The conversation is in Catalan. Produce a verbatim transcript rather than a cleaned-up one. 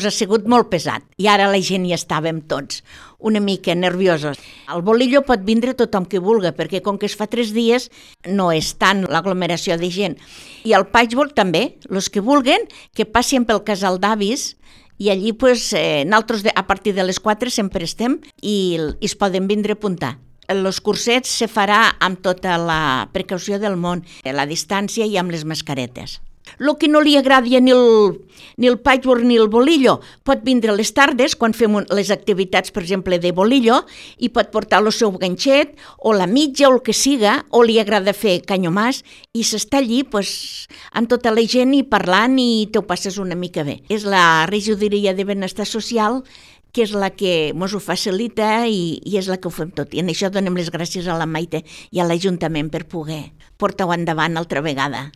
Ha sigut molt pesat i ara la gent hi estàvem tots una mica nerviosos. El bolillo pot vindre tothom que vulga, perquè com que es fa tres dies no és tant l'aglomeració de gent. I el patchwork també, els que vulguen, que passin pel casal d'avis i allí pues, eh, nosaltres de, a partir de les quatre sempre estem i, i es poden vindre a apuntar. Els cursets se farà amb tota la precaució del món, la distància i amb les mascaretes. El que no li agradi ni el, ni el patchwork ni el bolillo pot vindre a les tardes, quan fem les activitats, per exemple, de bolillo, i pot portar el seu ganxet, o la mitja, o el que siga, o li agrada fer canyomàs, i s'està allí pues, amb tota la gent i parlant i t'ho passes una mica bé. És la regidoria de benestar social que és la que ens ho facilita i, i és la que ho fem tot. I en això donem les gràcies a la Maite i a l'Ajuntament per poder portar-ho endavant altra vegada.